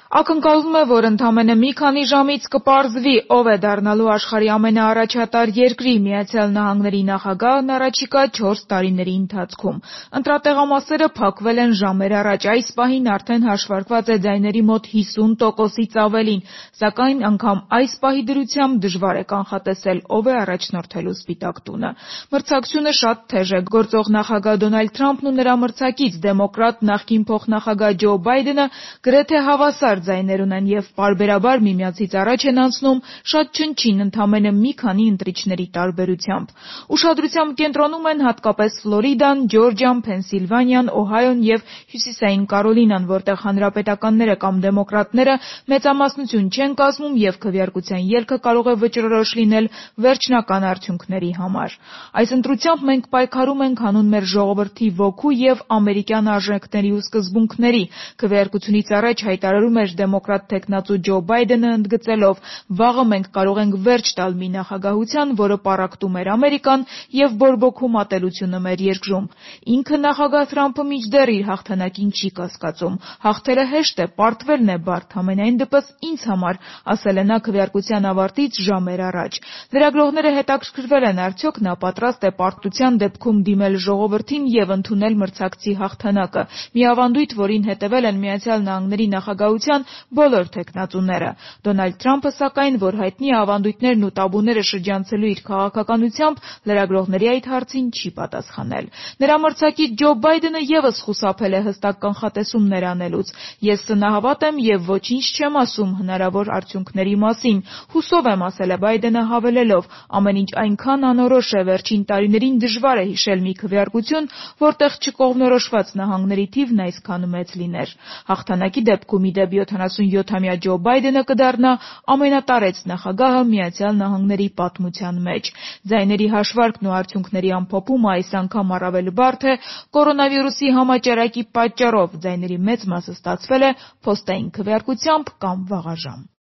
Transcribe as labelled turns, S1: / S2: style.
S1: Ակնկալվում է, որ ընդամենը մի քանի ժամից կպարզվի, ով է դառնալու աշխարհի ամենաառաջատար երկրի՝ Միացյալ Նահանգների նախագահն առաջիկա 4 տարիների ընթացքում։ Ընտրատեղամասերը փակվել են ժամեր առաջ, այս պահին արդեն հաշվարկված է ձայների մոտ 50%-ից ավելին, սակայն անգամ այս պահի դրությամբ դժվար է կանխատեսել, ով է առաջնորդելու Սպիտակ տունը։ Մրցակցությունը շատ թեժ է, գործող նախագահ Դոնալդ Թրամփն ու նրա մրցակից դեմոկրատ նախկին փոխնախագահ Ջո Բայդենը գրեթե հավասար ձայներ ունեն և պարբերաբար միմյանցից առաջ են անցնում շատ չնչին, ընդամենը մի քանի ընտրիչների տարբերությամբ։ Ուշադրության կենտրոնում են հատկապես Ֆլորիդան, Ջորջիան, Փենսիլվանիան, Օհայոն և Հյուսիսային Կարոլինան, որտեղ հանրապետականները կամ դեմոկրատները մեծամասնություն չեն կազմում և քվեարկության ելքը կարող է վճռորոշ լինել վերջնական արդյունքների համար։ Այս ընտրությամբ մենք պայքարում ենք հանուն մեր ժողովրդի ոգու և ամերիկյան արժեքների ու սկզբունքների, քվեարկությունից առաջ հայտարարում էր դեմոկրատ թեկնածու Ջո Բայդենը, ընդգծելով. «Վաղը մենք կարող ենք վերջ տալ մի նախագահության, որը պառակտում էր Ամերիկան և բորբոքում ատելությունը մեր երկրում»։ Ինքը նախագահ Թրամփը մինչդեռ իր հաղթանակին չի կասկածում։ «Հաղթելը հեշտ է, պարտվելն է բարդ, համենայն դեպս ինձ համար», ասել է նա քվեարկության ավարտից ժամեր առաջ։ Լրագրողները հետաքրքրվել են, արդյոք նա պատրաստ է պարտության դեպքում դիմել ժողովրդին և ընդունել մրցակցի հաղթանակը։ Մի ավանդույթ, որին հետևել են Միացյալ Նահանգների նախագահության բոլոր թեկնածուները։ Դոնալդ Թրամփը, սակայն, որ հայտնի է ավանդույթներն ու տաբուները շրջանցելու իր քաղաքականությամբ, լրագրողների այդ հարցին չի պատասխանել։ Նրա մրցակից Ջո Բայդենը ևս խուսափել է հստակ կանխատեսումներ անելուց։ «Ես սնահավատ եմ և ոչինչ չեմ ասում հնարավոր արդյունքների մասին, հուսով եմ», ասել է Բայդենը, հավելելով. «Ամեն ինչ այնքան անորոշ է, վերջին տարիներին դժվար է հիշել մի քվեարկություն, որտեղ չկողմնորոշված նահանգների թիվն այսքան մեծ լիներ»։ Հաղթանակի դեպքում, ի դեպ, 77-ամյա Ջո Բայդենը կդառնա ամենատարեց նախագահը Միացյալ Նահանգների պատմության մեջ։ Ձայների հաշվարկն ու արդյունքների ամփոփումը այս անգամ առավել բարդ է կորոնավիրուսի համաճարակի պատճառով, ձայների մեծ մասը ստացվել է փոստային քվեարկությամբ կամ վաղաժամ։